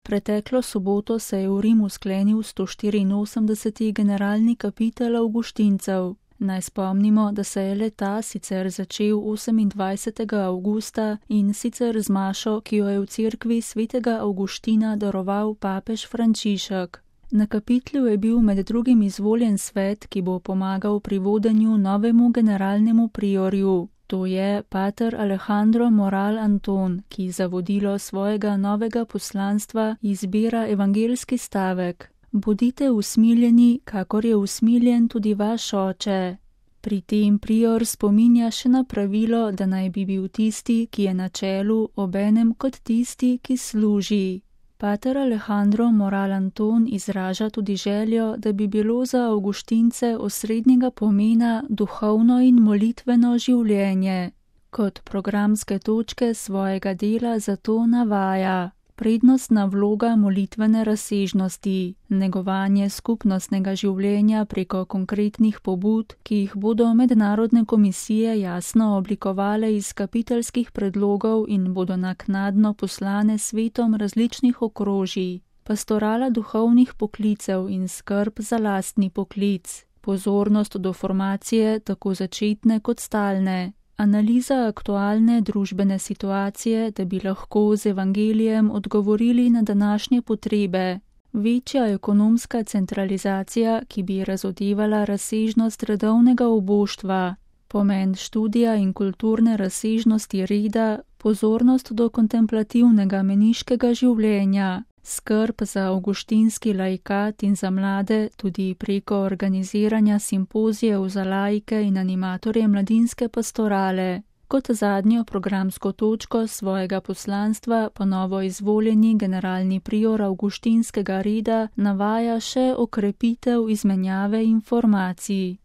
Preteklo soboto se je v Rimu sklenil 184. generalni kapitel avguštincev. Naj spomnimo, da se je le-ta sicer začel 28. avgusta in sicer z mašo, ki jo je v cerkvi svetega Avguština daroval papež Frančišek. Na kapitlu je bil med drugim izvoljen svet, ki bo pomagal pri vodenju novemu generalnemu priorju. To je pater Alejandro Moral Anton, ki za vodilo svojega novega poslanstva izbira evangeljski stavek: Bodite usmiljeni, kakor je usmiljen tudi vaš oče. Pri tem prior spominja še na pravilo, da naj bi bil tisti, ki je na čelu, obenem kot tisti, ki služi. Pater Alejandro Moral Anton izraža tudi željo, da bi bilo za avguštince osrednjega pomena duhovno in molitveno življenje. Kot programske točke svojega dela zato navaja: prednostna vloga molitvene razsežnosti, negovanje skupnostnega življenja preko konkretnih pobud, ki jih bodo mednarodne komisije jasno oblikovale iz kapiteljskih predlogov in bodo naknadno poslane svetom različnih okrožij, pastorala duhovnih poklicev in skrb za lastni poklic, pozornost do formacije tako začetne kot stalne, analiza aktualne družbene situacije, da bi lahko z evangelijem odgovorili na današnje potrebe, večja ekonomska centralizacija, ki bi razodevala razsežnost redovnega oboštva, pomen študija in kulturne razsežnosti reda, pozornost do kontemplativnega meniškega življenja, skrb za avguštinski laikat in za mlade tudi preko organiziranja simpozijev za laike in animatorje mladinske pastorale. Kot zadnjo programsko točko svojega poslanstva pa novo izvoljeni generalni prior avguštinskega reda navaja še okrepitev izmenjave informacij.